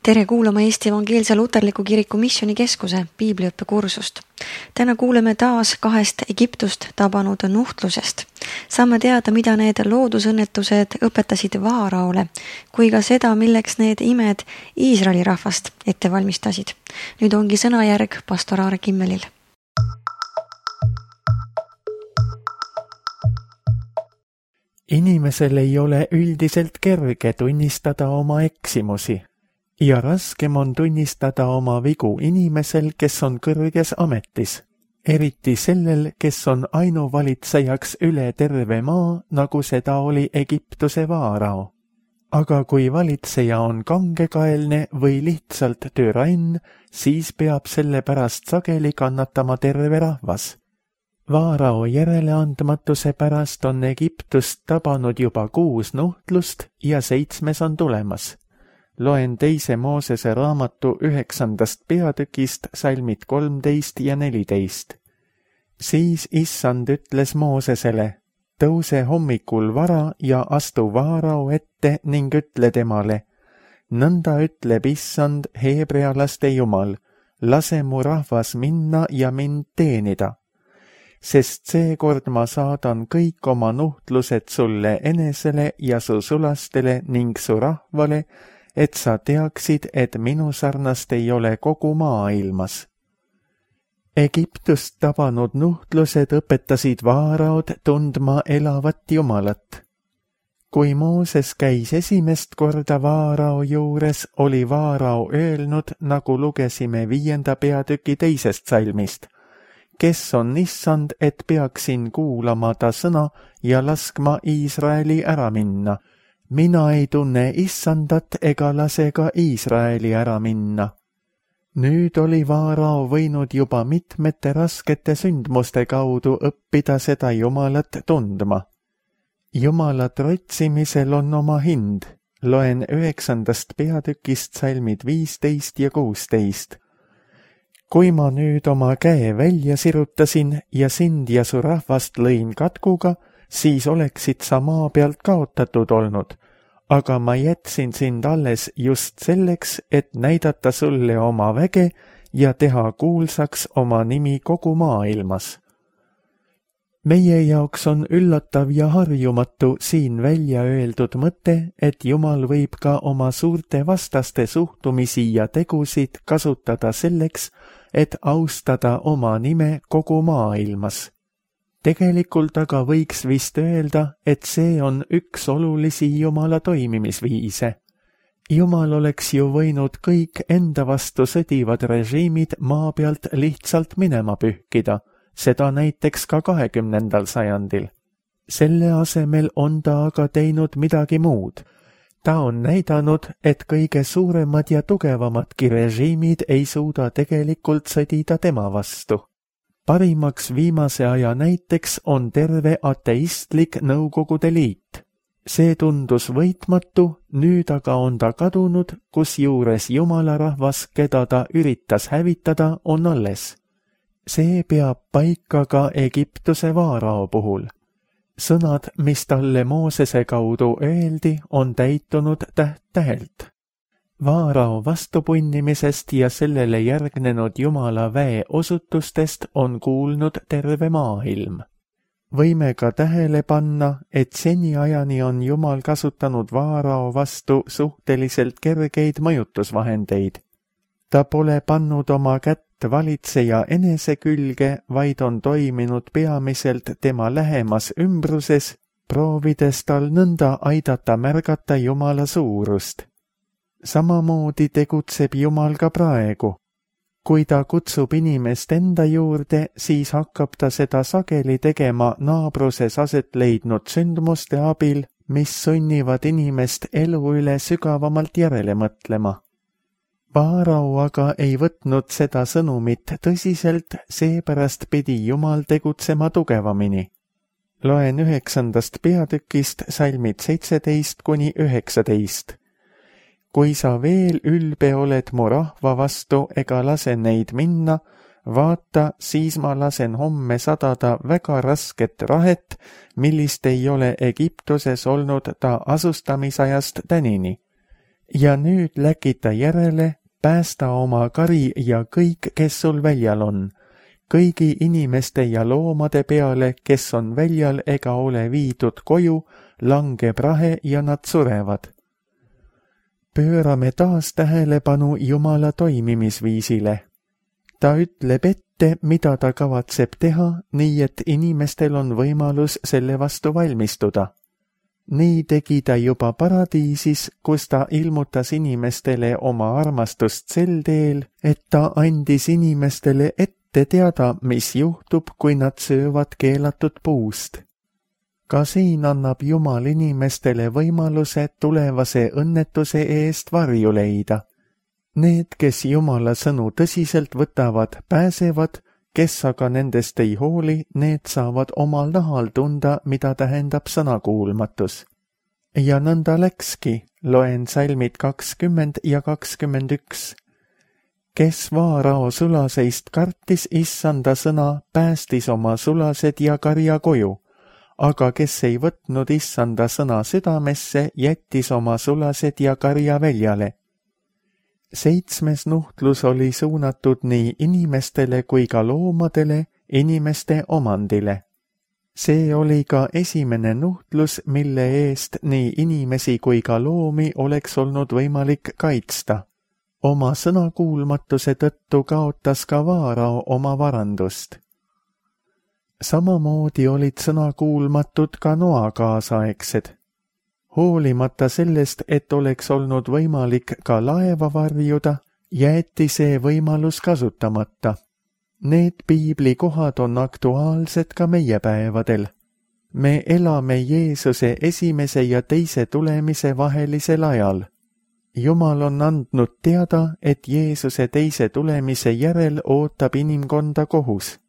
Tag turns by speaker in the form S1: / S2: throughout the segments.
S1: Tere kuulama Eesti Evangeelse Luterliku Kiriku Missioonikeskuse piibliõppekursust. Täna kuuleme taas 2 Egiptust tabanud nuhtlusest. Saame teada, mida need loodusõnnetused õpetasid Vaaraole, kui ka seda, milleks need imed Iisraeli rahvast ette valmistasid. Nüüd ongi sõnajärg pastor Aare Kimmelil.
S2: Inimesel ei ole üldiselt kerge tunnistada oma eksimusi. Ja raskem on tunnistada oma vigu inimesel, kes on kõrges ametis, eriti sellel, kes on ainuvalitsejaks üle terve maa, nagu seda oli Egiptuse Vaarao. Aga kui valitseja on kangekaelne või lihtsalt türann, siis peab selle pärast sageli kannatama terve rahvas. Vaarao järeleandmatuse pärast on Egiptust tabanud juba 6 nuhtlust ja 7. on tulemas. Loen 2. Moosese raamatu 9. peatükist salmid 13 ja 14. Siis Issand ütles Moosesele, tõuse hommikul vara ja astu Vaarao ette ning ütle temale, nõnda ütleb Issand, heebrealaste Jumal, lase mu rahvas minna ja mind teenida. Sest seekord ma saadan kõik oma nuhtlused sulle enesele ja su sulastele ning su rahvale, et sa teaksid, et minu sarnast ei ole kogu maailmas. Egiptust tabanud nuhtlused õpetasid Vaaraod tundma elavat Jumalat. Kui Mooses käis esimest korda Vaarao juures, oli Vaarao öelnud, nagu lugesime 5. peatüki 2. salmist, kes on Issand, et peaksin kuulama ta sõna ja laskma Iisraeli ära minna. Mina ei tunne Issandat ega lase ka Iisraeli ära minna. Nüüd oli Vaarao võinud juba mitmete raskete sündmuste kaudu õppida seda Jumalat tundma. Jumalat otsimisel on oma hind. Loen 9. peatükist salmid 15 ja 16. Kui ma nüüd oma käe välja sirutasin ja sind ja su rahvast lõin katkuga, siis oleksid sa maa pealt kaotatud olnud, aga ma jätsin sind alles just selleks, et näidata sulle oma väge ja teha kuulsaks oma nimi kogu maailmas. Meie jaoks on üllatav ja harjumatu siin välja öeldud mõte, et Jumal võib ka oma suurte vastaste suhtumisi ja tegusid kasutada selleks, et austada oma nime kogu maailmas. Tegelikult aga võiks vist öelda, et see on üks olulisi Jumala toimimisviise. Jumal oleks ju võinud kõik enda vastu sõdivad režiimid maa pealt lihtsalt minema pühkida, seda näiteks ka 20. sajandil. Selle asemel on ta aga teinud midagi muud. Ta on näidanud, et kõige suuremad ja tugevamadki režiimid ei suuda tegelikult sõdida tema vastu. Parimaks viimase aja näiteks on terve ateistlik Nõukogude Liit. See tundus võitmatu, nüüd aga on ta kadunud, kusjuures Jumala rahvas, keda ta üritas hävitada, on alles. See peab paika ka Egiptuse Vaarao puhul. Sõnad, mis talle Moosese kaudu öeldi, on täitunud täht-tähelt. Vaarao vastupunnimisest ja sellele järgnenud Jumala väe osutustest on kuulnud terve maailm. Võime ka tähele panna, et seniajani on Jumal kasutanud Vaarao vastu suhteliselt kergeid mõjutusvahendeid. Ta pole pannud oma kätt valitseja enese külge, vaid on toiminud peamiselt tema lähemas ümbruses, proovides tal nõnda aidata märgata Jumala suurust. Samamoodi tegutseb Jumal ka praegu. Kui ta kutsub inimest enda juurde, siis hakkab ta seda sageli tegema naabruses aset leidnud sündmuste abil, mis sunnivad inimest elu üle sügavamalt järele mõtlema. Vaarao aga ei võtnud seda sõnumit tõsiselt, seepärast pidi Jumal tegutsema tugevamini. Loen 9. peatükist salmid 17 kuni 19. Kui sa veel ülbe oled mu rahva vastu ega lase neid minna, vaata, siis ma lasen homme sadada väga rasket rahet, millist ei ole Egiptuses olnud ta asustamisajast tänini. ja nüüd läkid ta järele, päästa oma kari ja kõik, kes sul väljal on, kõigi inimeste ja loomade peale, kes on väljal ega ole viidud koju, langeb rahe ja nad surevad. Pöörame taas tähelepanu Jumala toimimisviisile. Ta ütleb ette, mida ta kavatseb teha, nii et inimestel on võimalus selle vastu valmistuda. Nii tegi ta juba paradiisis, kus ta ilmutas inimestele oma armastust sel teel, et ta andis inimestele ette teada, mis juhtub, kui nad söövad keelatud puust. Ka siin annab Jumal inimestele võimaluse tulevase õnnetuse eest varju leida. Need, kes Jumala sõnu tõsiselt võtavad, pääsevad, kes aga nendest ei hooli, need saavad omal nahal tunda, mida tähendab sõnakuulmatus. Ja nõnda läkski, loen salmid 20 ja 21. Kes Vaarao sulaseist kartis issanda sõna, päästis oma sulased ja karja koju, aga kes ei võtnud issanda sõna südamesse, jättis oma sulased ja karja väljale. 7. nuhtlus oli suunatud nii inimestele kui ka loomadele, inimeste omandile. See oli ka esimene nuhtlus, mille eest nii inimesi kui ka loomi oleks olnud võimalik kaitsta. Oma sõnakuulmatuse tõttu kaotas ka Vaarao oma varandust. Samamoodi olid sõnakuulmatud ka Noa kaasaegsed. Hoolimata sellest, et oleks olnud võimalik ka laeva varjuda, jäeti see võimalus kasutamata. Need piiblikohad on aktuaalsed ka meie päevadel. Me elame Jeesuse esimese ja teise tulemise vahelisel ajal. Jumal on andnud teada, et Jeesuse teise tulemise järel ootab inimkonda kohus.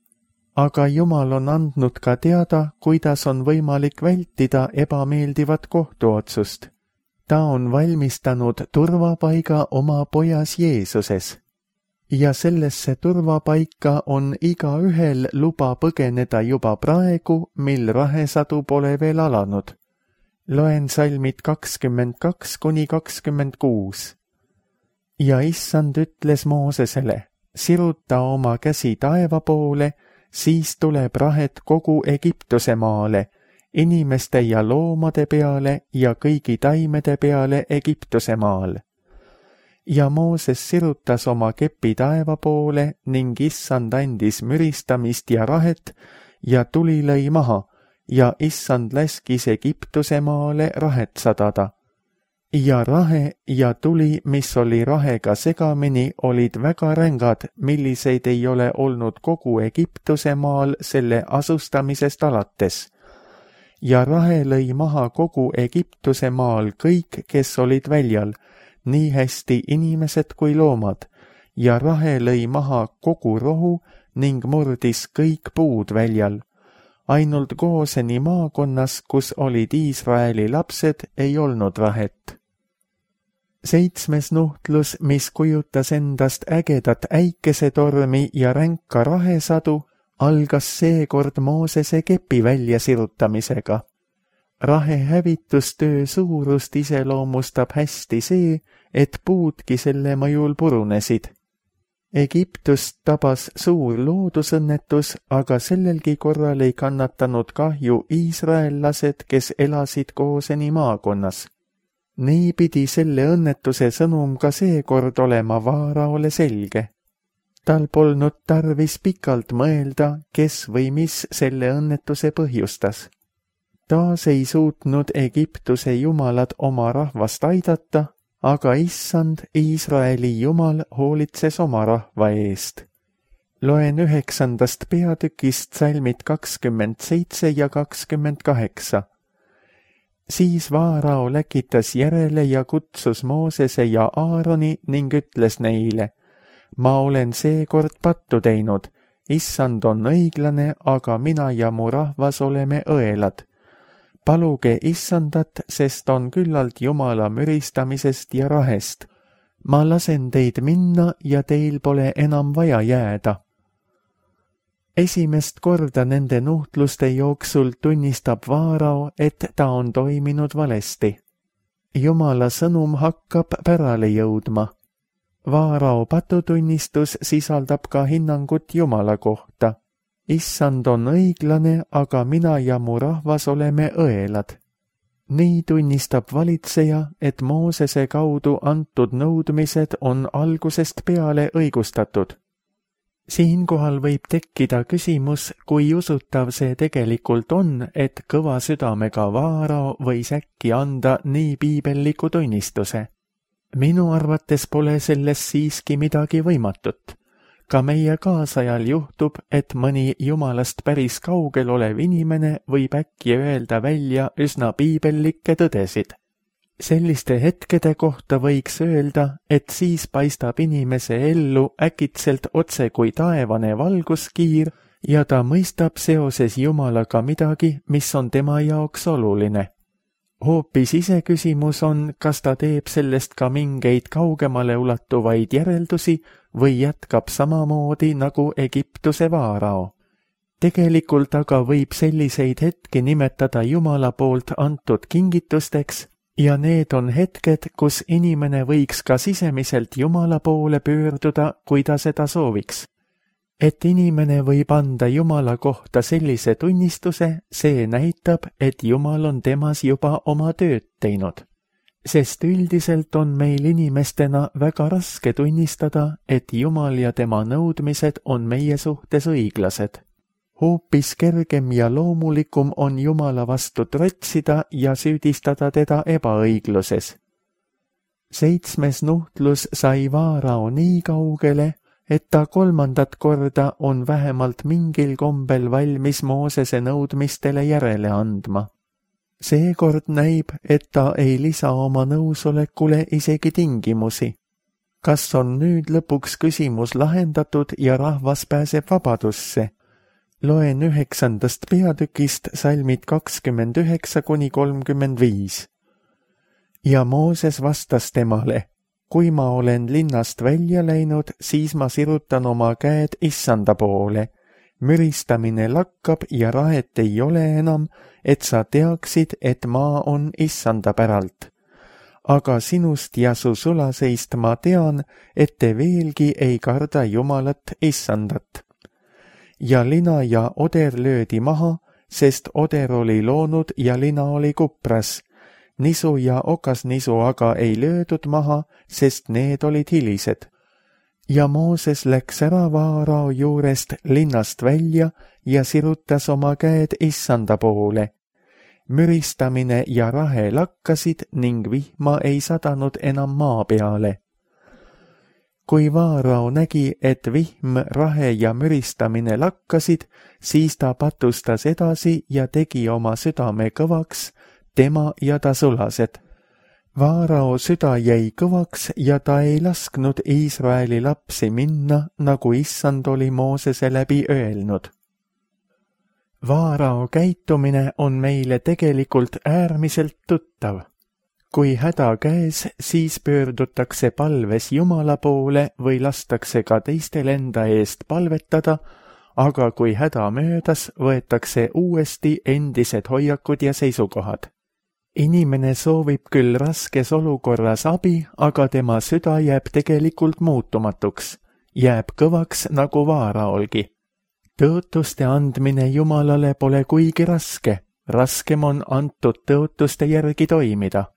S2: Aga Jumal on andnud ka teada, kuidas on võimalik vältida ebameeldivat kohtuotsust. Ta on valmistanud turvapaiga oma pojas Jeesuses. Ja sellesse turvapaika on igaühel luba põgeneda juba praegu, mil rahesadu pole veel alanud. Loen salmid 22 kuni 26. Ja issand ütles Moosesele, siruta oma käsi taeva poole, siis tuleb rahet kogu Egiptuse maale, inimeste ja loomade peale ja kõigi taimede peale Egiptuse maal. Ja Mooses sirutas oma kepi taeva poole ning issand andis müristamist ja rahet ja tuli lõi maha ja issand läskis Egiptuse maale rahet sadada. Ja rahe ja tuli, mis oli rahega segamini, olid väga rängad, milliseid ei ole olnud kogu Egiptuse maal selle asustamisest alates. Ja rahe lõi maha kogu Egiptuse maal kõik, kes olid väljal, nii hästi inimesed kui loomad, ja rahe lõi maha kogu rohu ning murdis kõik puud väljal. Ainult Gooseni maakonnas, kus olid Iisraeli lapsed, ei olnud rahet. 7. nuhtlus, mis kujutas endast ägedat äikesetormi ja ränka rahesadu, algas seekord Moosese kepi väljasirutamisega. Rahe hävitustöö suurust iseloomustab hästi see, et puudki selle mõjul purunesid. Egiptust tabas suur loodusõnnetus, aga sellelgi korral ei kannatanud kahju iisraellased, kes elasid Gooseni maakonnas. Nii pidi selle õnnetuse sõnum ka seekord olema Vaaraole selge. Tal polnud tarvis pikalt mõelda, kes või mis selle õnnetuse põhjustas. Taas ei suutnud Egiptuse jumalad oma rahvast aidata, aga issand, Iisraeli jumal hoolitses oma rahva eest. Loen 9. peatükist salmid 27 ja 28. Siis Vaarao läkitas järele ja kutsus Moosese ja Aaroni ning ütles neile, ma olen seekord pattu teinud, issand on õiglane, aga mina ja mu rahvas oleme õelad. Paluge issandat, sest on küllalt Jumala müristamisest ja rahest. Ma lasen teid minna ja teil pole enam vaja jääda. Esimest korda nende nuhtluste jooksul tunnistab Vaarao, et ta on toiminud valesti. Jumala sõnum hakkab pärale jõudma. Vaarao patutunnistus sisaldab ka hinnangut Jumala kohta. Issand on õiglane, aga mina ja mu rahvas oleme õelad. Nii tunnistab valitseja, et Moosese kaudu antud nõudmised on algusest peale õigustatud. Siinkohal võib tekkida küsimus, kui usutav see tegelikult on, et kõva südamega Vaarao võis äkki anda nii piibelliku tunnistuse. Minu arvates pole selles siiski midagi võimatut. Ka meie kaasajal juhtub, et mõni Jumalast päris kaugel olev inimene võib äkki öelda välja üsna piibellikke tõdesid. Selliste hetkede kohta võiks öelda, et siis paistab inimese ellu äkitselt otse kui taevane valguskiir ja ta mõistab seoses Jumalaga midagi, mis on tema jaoks oluline. Hoopis iseküsimus on, kas ta teeb sellest ka mingeid kaugemale ulatuvaid järeldusi või jätkab samamoodi nagu Egiptuse Vaarao. Tegelikult aga võib selliseid hetki nimetada Jumala poolt antud kingitusteks ja need on hetked, kus inimene võiks ka sisemiselt Jumala poole pöörduda, kui ta seda sooviks. Et inimene võib anda Jumala kohta sellise tunnistuse, see näitab, et Jumal on temas juba oma tööd teinud. Sest üldiselt on meil inimestena väga raske tunnistada, et Jumal ja tema nõudmised on meie suhtes õiglased. Hoopis kergem ja loomulikum on Jumala vastu trotsida ja süüdistada teda ebaõigluses. 7. nuhtlus sai Vaarao nii kaugele, et ta 3. korda on vähemalt mingil kombel valmis Moosese nõudmistele järele andma. Seekord näib, et ta ei lisa oma nõusolekule isegi tingimusi. Kas on nüüd lõpuks küsimus lahendatud ja rahvas pääseb vabadusse? Loen 9. peatükist salmid 29–35. Ja Mooses vastas temale: kui ma olen linnast välja läinud, siis ma sirutan oma käed Issanda poole. Müristamine lakkab ja rahet ei ole enam, et sa teaksid, et maa on Issanda päralt. Aga sinust ja su sulaseist ma tean, et te veelgi ei karda Jumalat Issandat. Ja lina ja oder löödi maha, sest oder oli loonud ja lina oli kupras. Nisu ja okasnisu aga ei löödud maha, sest need olid hilised. Ja Mooses läks ära Vaarao juurest linnast välja ja sirutas oma käed Issanda poole. Müristamine ja rahe lakkasid ning vihma ei sadanud enam maa peale. Kui Vaarao nägi, et vihm, rahe ja müristamine lakkasid, siis ta patustas edasi ja tegi oma südame kõvaks, tema ja ta sulased. Vaarao süda jäi kõvaks ja ta ei lasknud Iisraeli lapsi minna, nagu Issand oli Moosese läbi öelnud. Vaarao käitumine on meile tegelikult äärmiselt tuttav. Kui häda käes, siis pöördutakse palves Jumala poole või lastakse ka teistel enda eest palvetada, aga kui häda möödas, võetakse uuesti endised hoiakud ja seisukohad. Inimene soovib küll raskes olukorras abi, aga tema süda jääb tegelikult muutumatuks, jääb kõvaks nagu Vaaraolgi. Tõotuste andmine Jumalale pole kuigi raske, raskem on antud tõotuste järgi toimida.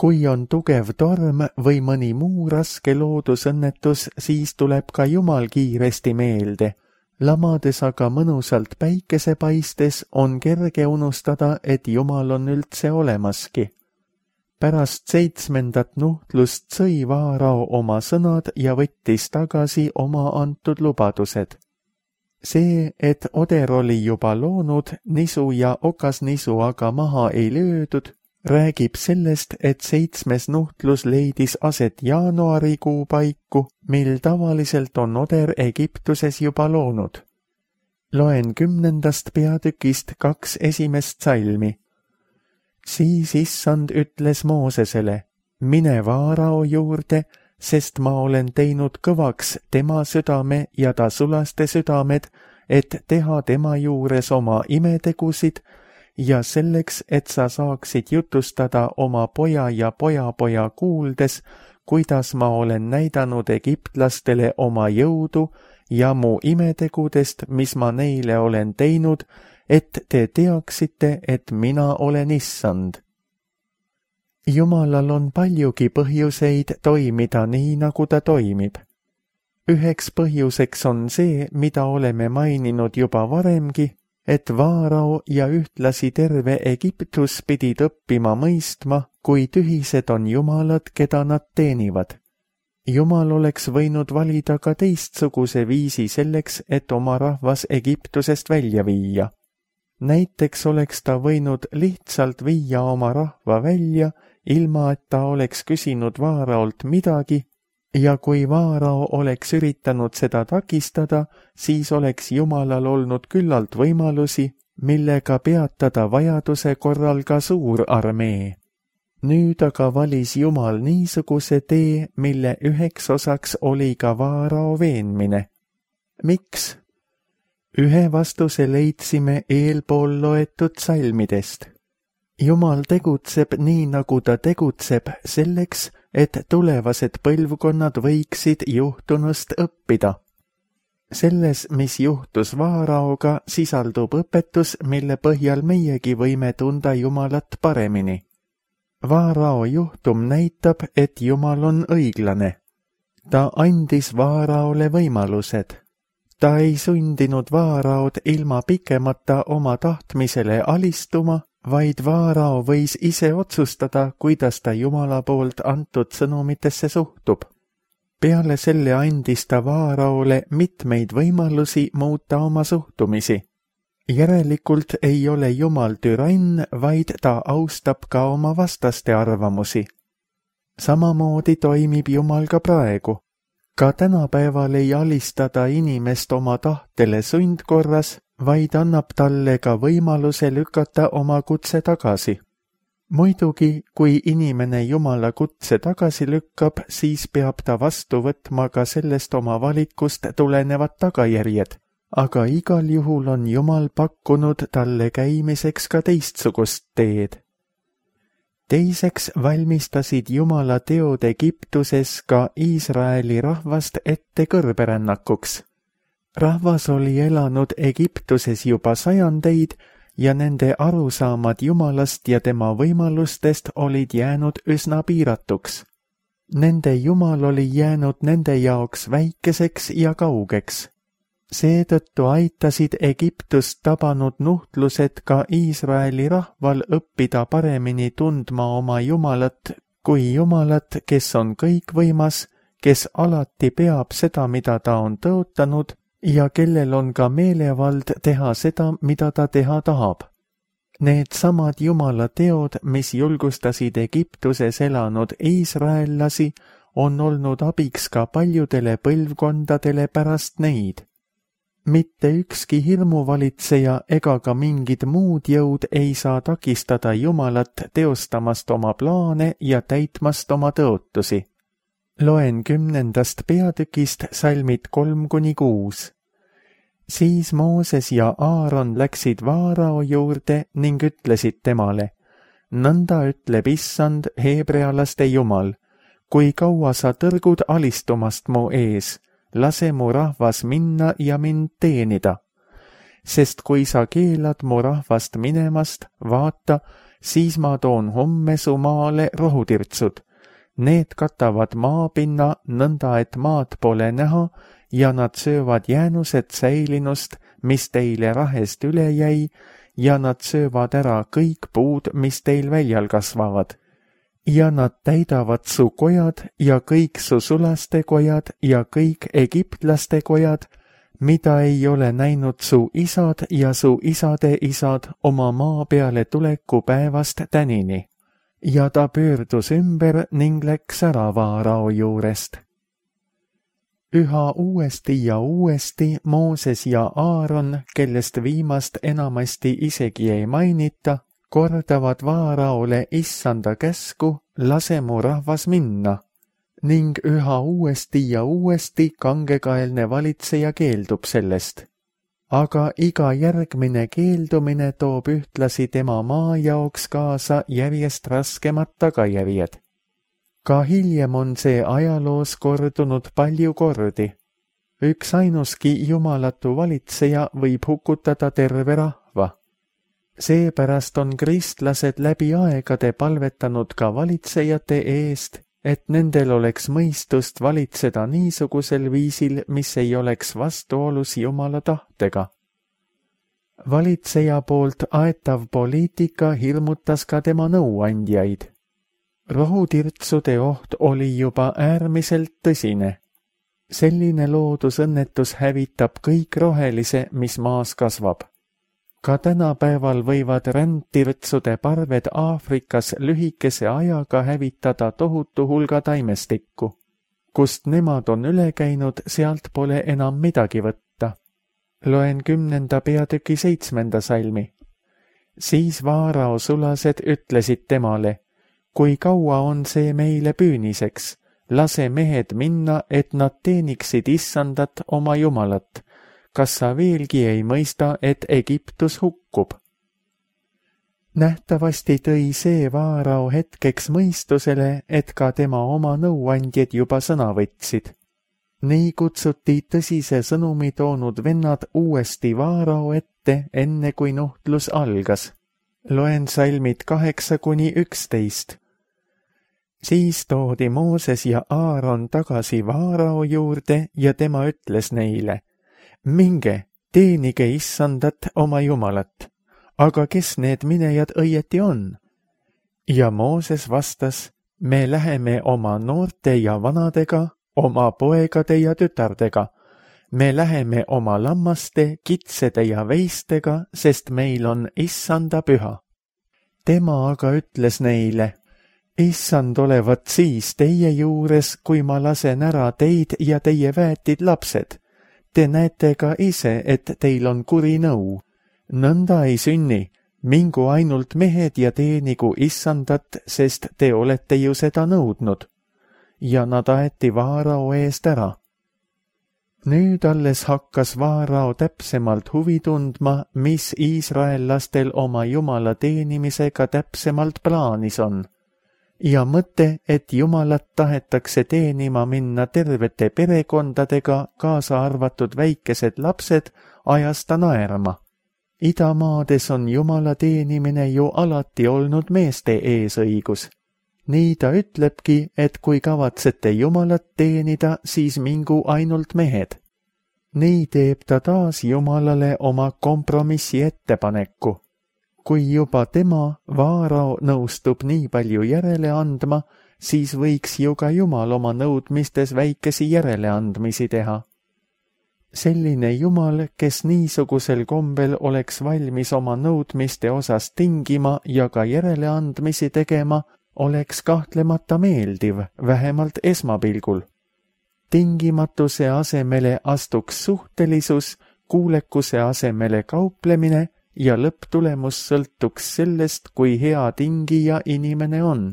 S2: Kui on tugev torm või mõni muu raske loodusõnnetus, siis tuleb ka Jumal kiiresti meelde. Lamades aga mõnusalt päikese paistes on kerge unustada, et Jumal on üldse olemaski. Pärast 7. nuhtlust sõi Vaarao oma sõnad ja võttis tagasi oma antud lubadused. See, et oder oli juba loonud, nisu ja okasnisu aga maha ei löödud, räägib sellest, et 7. nuhtlus leidis aset jaanuarikuu paiku, mil tavaliselt on oder Egiptuses juba loonud. Loen 10. peatükist 2 esimest salmi. Siis Issand ütles Moosesele: mine Vaarao juurde, sest ma olen teinud kõvaks tema südame ja ta sulaste südamed, et teha tema juures oma imetegusid ja selleks, et sa saaksid jutustada oma poja ja pojapoja kuuldes, kuidas ma olen näidanud egiptlastele oma jõudu ja mu imetegudest, mis ma neile olen teinud, et te teaksite, et mina olen Issand. Jumalal on paljugi põhjuseid toimida nii, nagu ta toimib. Üheks põhjuseks on see, mida oleme maininud juba varemgi, et Vaarao ja ühtlasi terve Egiptus pidid õppima mõistma, kui tühised on jumalad, keda nad teenivad. Jumal oleks võinud valida ka teistsuguse viisi selleks, et oma rahvas Egiptusest välja viia. Näiteks oleks ta võinud lihtsalt viia oma rahva välja, ilma et ta oleks küsinud Vaaraolt midagi, ja kui Vaarao oleks üritanud seda takistada, siis oleks Jumalal olnud küllalt võimalusi, millega peatada vajaduse korral ka suur armee. Nüüd aga valis Jumal niisuguse tee, mille üheks osaks oli ka Vaarao veenmine. Miks? Ühe vastuse leidsime eelpool loetud salmidest. Jumal tegutseb nii, nagu ta tegutseb, selleks, et tulevased põlvkonnad võiksid juhtunust õppida. Selles, mis juhtus Vaaraoga, sisaldub õpetus, mille põhjal meiegi võime tunda Jumalat paremini. Vaarao juhtum näitab, et Jumal on õiglane. Ta andis Vaaraole võimalused. Ta ei sundinud Vaaraod ilma pikemata oma tahtmisele alistuma, vaid Vaarao võis ise otsustada, kuidas ta Jumala poolt antud sõnumitesse suhtub. Peale selle andis ta Vaaraole mitmeid võimalusi muuta oma suhtumisi. Järelikult ei ole Jumal türann, vaid ta austab ka oma vastaste arvamusi. Samamoodi toimib Jumal ka praegu. Ka tänapäeval ei alistada inimest oma tahtele sundkorras, vaid annab talle ka võimaluse lükata oma kutse tagasi. Muidugi, kui inimene Jumala kutse tagasi lükkab, siis peab ta vastu võtma ka sellest oma valikust tulenevad tagajärjed, aga igal juhul on Jumal pakkunud talle käimiseks ka teistsugust teed. Teiseks valmistasid Jumala teod Egiptuses ka Iisraeli rahvast ette kõrberännakuks. Rahvas oli elanud Egiptuses juba sajandeid ja nende arusaamad Jumalast ja tema võimalustest olid jäänud üsna piiratuks. Nende Jumal oli jäänud nende jaoks väikeseks ja kaugeks. Seetõttu aitasid Egiptust tabanud nuhtlused ka Iisraeli rahval õppida paremini tundma oma Jumalat kui Jumalat, kes on kõikvõimas, kes alati peab seda, mida ta on tõotanud, ja kellel on ka meelevald teha seda, mida ta teha tahab. Need samad Jumala teod, mis julgustasid Egiptuses elanud iisraellasi, on olnud abiks ka paljudele põlvkondadele pärast neid. Mitte ükski hirmuvalitseja ega ka mingid muud jõud ei saa takistada Jumalat teostamast oma plaane ja täitmast oma tõotusi. Loen 10. peatükist salmid 3-6. Siis Mooses ja Aaron läksid Vaarao juurde ning ütlesid temale: nõnda ütleb Issand, heebrealaste Jumal, kui kaua sa tõrgud alistumast mu ees, lase mu rahvas minna ja mind teenida. Sest kui sa keelad mu rahvast minemast, vaata, siis ma toon homme su maale rohutirtsud. Need katavad maapinna nõnda, et maad pole näha, ja nad söövad jäänused säilinust, mis teile rahest üle jäi, ja nad söövad ära kõik puud, mis teil väljal kasvavad. Ja nad täidavad su kojad ja kõik su sulaste kojad ja kõik egiptlaste kojad, mida ei ole näinud su isad ja su isade isad oma maa peale tuleku päevast tänini. Ja ta pöördus ümber ning läks ära Vaarao juurest. Üha uuesti ja uuesti Mooses ja Aaron, kellest viimast enamasti isegi ei mainita, kordavad Vaaraole Issanda käsku, lase mu rahvas minna, ning üha uuesti ja uuesti kangekaelne valitseja keeldub sellest. aga iga järgmine keeldumine toob ühtlasi tema maa jaoks kaasa järjest raskemad tagajärjed. Ka hiljem on see ajaloos kordunud palju kordi. Üks ainuski jumalatu valitseja võib hukutada terve rahva. Seepärast on kristlased läbi aegade palvetanud ka valitsejate eest, et nendel oleks mõistust valitseda niisugusel viisil, mis ei oleks vastuolus Jumala tahtega. Valitseja poolt aetav poliitika hirmutas ka tema nõuandjaid. Rohutirtsude oht oli juba äärmiselt tõsine. Selline loodusõnnetus hävitab kõik rohelise, mis maas kasvab. Ka tänapäeval võivad rändtirtsude parved Aafrikas lühikese ajaga hävitada tohutu hulga taimestikku. Kust nemad on üle käinud, sealt pole enam midagi võtta. Loen 10. peatüki 7. salmi. Siis Vaarao sulased ütlesid temale, kui kaua on see meile püüniseks, lase mehed minna, et nad teeniksid Issandat oma Jumalat. Kas sa veelgi ei mõista, et Egiptus hukkub? Nähtavasti tõi see Vaarao hetkeks mõistusele, et ka tema oma nõuandjad juba sõna võtsid. Nii kutsuti tõsise sõnumi toonud vennad uuesti Vaarao ette, enne kui nuhtlus algas. Loen salmid 8-11. Siis toodi Mooses ja Aaron tagasi Vaarao juurde ja tema ütles neile, minge, teenige Issandat oma Jumalat, aga kes need minejad õieti on? Ja Mooses vastas, me läheme oma noorte ja vanadega, oma poegade ja tütardega, me läheme oma lammaste, kitsede ja veistega, sest meil on Issanda püha. Tema aga ütles neile, Issand olevat siis teie juures, kui ma lasen ära teid ja teie väetid lapsed. Te näete ka ise, et teil on kuri nõu. Nõnda ei sünni, mingu ainult mehed ja teenigu Issandat, sest te olete ju seda nõudnud. Ja nad aeti Vaarao eest ära. Nüüd alles hakkas Vaarao täpsemalt huvi tundma, mis iisraellastel oma Jumala teenimisega täpsemalt plaanis on. Ja mõte, et Jumalat tahetakse teenima minna tervete perekondadega, kaasa arvatud väikesed lapsed, ajas ta naerma. Idamaades on Jumala teenimine ju alati olnud meeste eesõigus. Nii ta ütlebki, et kui kavatsete Jumalat teenida, siis mingu ainult mehed. Nii teeb ta taas Jumalale oma kompromissi ettepaneku. Kui juba tema, Vaarao, nõustub nii palju järele andma, siis võiks ju ka Jumal oma nõudmistes väikesi järeleandmisi teha. Selline Jumal, kes niisugusel kombel oleks valmis oma nõudmiste osas tingima ja ka järeleandmisi tegema, oleks kahtlemata meeldiv, vähemalt esmapilgul. Tingimatuse asemele astuks suhtelisus, kuulekuse asemele kauplemine ja lõpptulemus sõltuks sellest, kui hea tingija inimene on.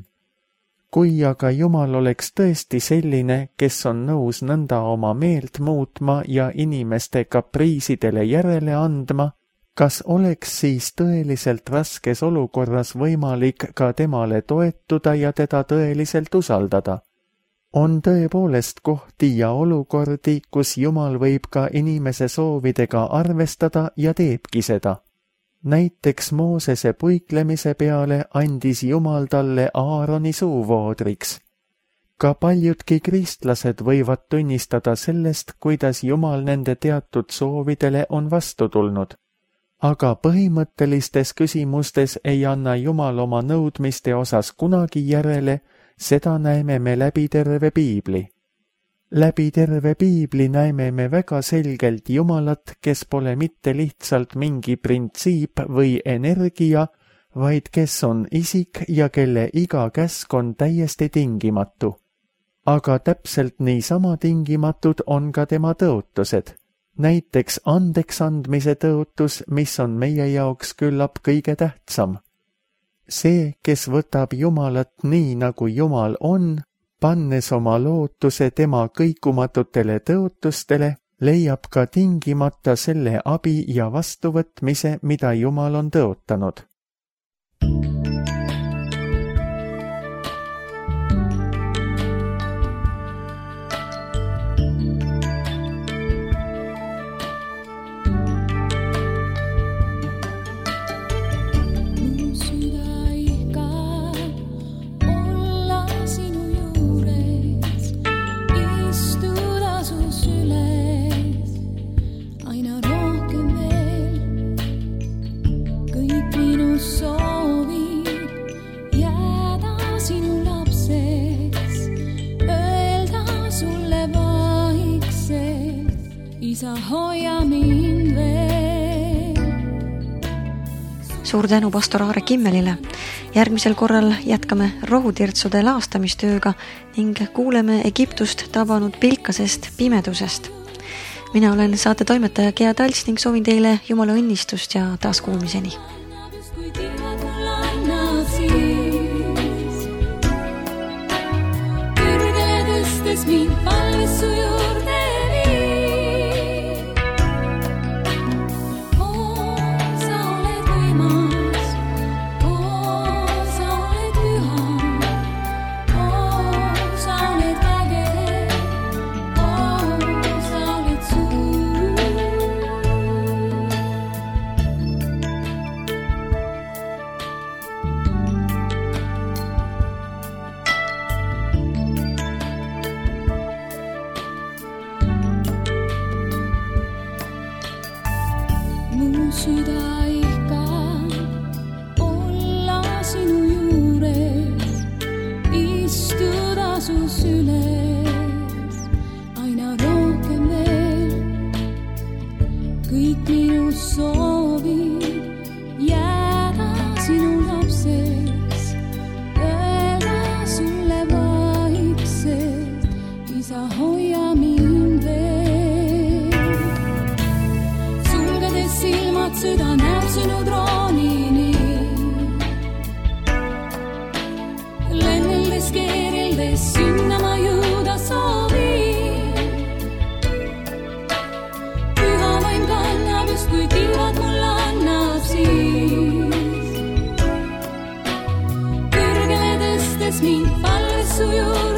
S2: Kui aga Jumal oleks tõesti selline, kes on nõus nõnda oma meelt muutma ja inimeste kapriisidele järele andma, kas oleks siis tõeliselt raskes olukorras võimalik ka temale toetuda ja teda tõeliselt usaldada? On tõepoolest kohti ja olukordi, kus Jumal võib ka inimese soovidega arvestada ja teebki seda. Näiteks Moosese puiklemise peale andis Jumal talle Aaroni suuvoodriks. Ka paljudki kristlased võivad tunnistada sellest, kuidas Jumal nende teatud soovidele on vastu tulnud. Aga põhimõttelistes küsimustes ei anna Jumal oma nõudmiste osas kunagi järele, seda näeme me läbi terve piibli. Läbi terve piibli näeme me väga selgelt Jumalat, kes pole mitte lihtsalt mingi printsiip või energia, vaid kes on isik ja kelle iga käsk on täiesti tingimatu. Aga täpselt niisama tingimatud on ka tema tõotused. Näiteks andeks andmise tõotus, mis on meie jaoks küllap kõige tähtsam. See, kes võtab Jumalat nii, nagu Jumal on, pannes oma lootuse tema kõikumatutele tõotustele, leiab ka tingimata selle abi ja vastuvõtmise, mida Jumal on tõotanud.
S1: Suur tänu pastor Aare Kimmelile. Järgmisel korral jätkame rohutirtsude laastamistööga ning kuuleme Egiptust tabanud pilkasest pimedusest. Mina olen saate toimetaja Gea Talts ning soovin teile Jumala õnnistust ja taaskuulmiseni.
S3: Süda ihka olla sinu juures, istuda su süles, aina rohkem veel. Kõik minu soovid jääda sinu lapseks, öelda sulle vaikselt, isa hoia mind veel. Sulgedes silmad, süda näeb sinu troonini, lenneldes keerildes sinna ma jõuda soovin. Püha vaim kannab just kui tiivad mul annab siis, kõrgele tõstes mind palves su juurde.